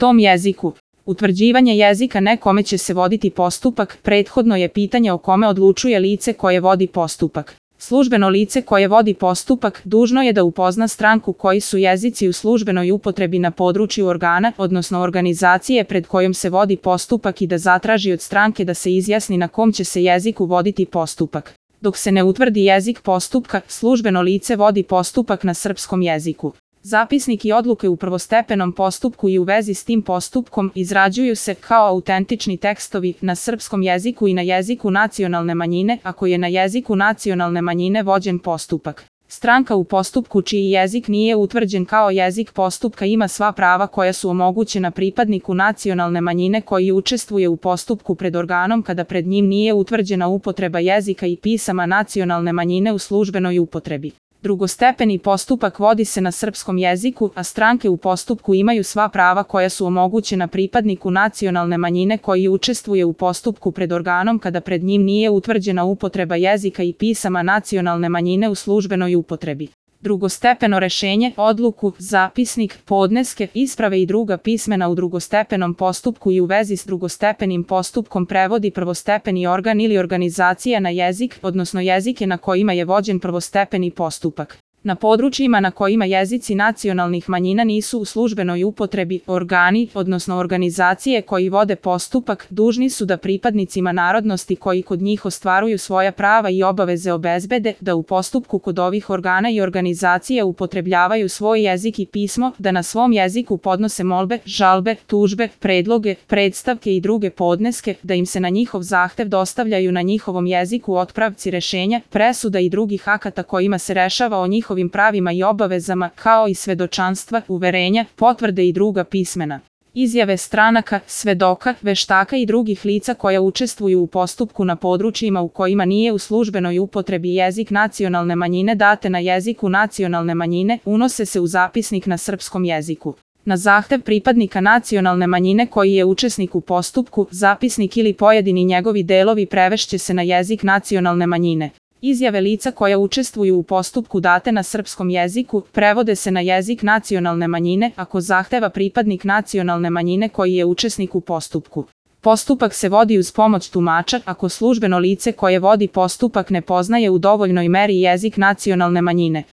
tom jeziku. Utvrđivanje jezika ne kome će se voditi postupak, prethodno je pitanje o kome odlučuje lice koje vodi postupak. Službeno lice koje vodi postupak dužno je da upozna stranku koji su jezici u službenoj upotrebi na području organa, odnosno organizacije pred kojom se vodi postupak i da zatraži od stranke da se izjasni na kom će se jeziku voditi postupak. Dok se ne utvrdi jezik postupka, službeno lice vodi postupak na srpskom jeziku. Zapisnik i odluke u prvostepenom postupku i u vezi s tim postupkom izrađuju se kao autentični tekstovi na srpskom jeziku i na jeziku nacionalne manjine, ako je na jeziku nacionalne manjine vođen postupak. Stranka u postupku čiji jezik nije utvrđen kao jezik postupka ima sva prava koja su omogućena pripadniku nacionalne manjine koji učestvuje u postupku pred organom kada pred njim nije utvrđena upotreba jezika i pisama nacionalne manjine u službenoj upotrebi. Drugostepeni postupak vodi se na srpskom jeziku, a stranke u postupku imaju sva prava koja su omogućena pripadniku nacionalne manjine koji učestvuje u postupku pred organom kada pred njim nije utvrđena upotreba jezika i pisama nacionalne manjine u službenoj upotrebi. Drugostepeno rešenje, odluku, zapisnik, podneske, isprave i druga pismena u drugostepenom postupku i u vezi s drugostepenim postupkom prevodi prvostepeni organ ili organizacija na jezik, odnosno jezike na kojima je vođen prvostepeni postupak. Na područjima na kojima jezici nacionalnih manjina nisu u službenoj upotrebi, organi, odnosno organizacije koji vode postupak, dužni su da pripadnicima narodnosti koji kod njih ostvaruju svoja prava i obaveze obezbede, da u postupku kod ovih organa i organizacija upotrebljavaju svoj jezik i pismo, da na svom jeziku podnose molbe, žalbe, tužbe, predloge, predstavke i druge podneske, da im se na njihov zahtev dostavljaju na njihovom jeziku otpravci rešenja, presuda i drugih akata kojima se rešava o njihovim pravima i obavezama, kao i svedočanstva, uverenja, potvrde i druga pismena. Izjave stranaka, svedoka, veštaka i drugih lica koja učestvuju u postupku na područjima u kojima nije u službenoj upotrebi jezik nacionalne manjine date na jeziku nacionalne manjine, unose se u zapisnik na srpskom jeziku. Na zahtev pripadnika nacionalne manjine koji je učesnik u postupku, zapisnik ili pojedini njegovi delovi prevešće se na jezik nacionalne manjine. Izjave lica koja učestvuju u postupku date na srpskom jeziku prevode se na jezik nacionalne manjine ako zahteva pripadnik nacionalne manjine koji je učesnik u postupku. Postupak se vodi uz pomoć tumača ako službeno lice koje vodi postupak ne poznaje u dovoljnoj meri jezik nacionalne manjine.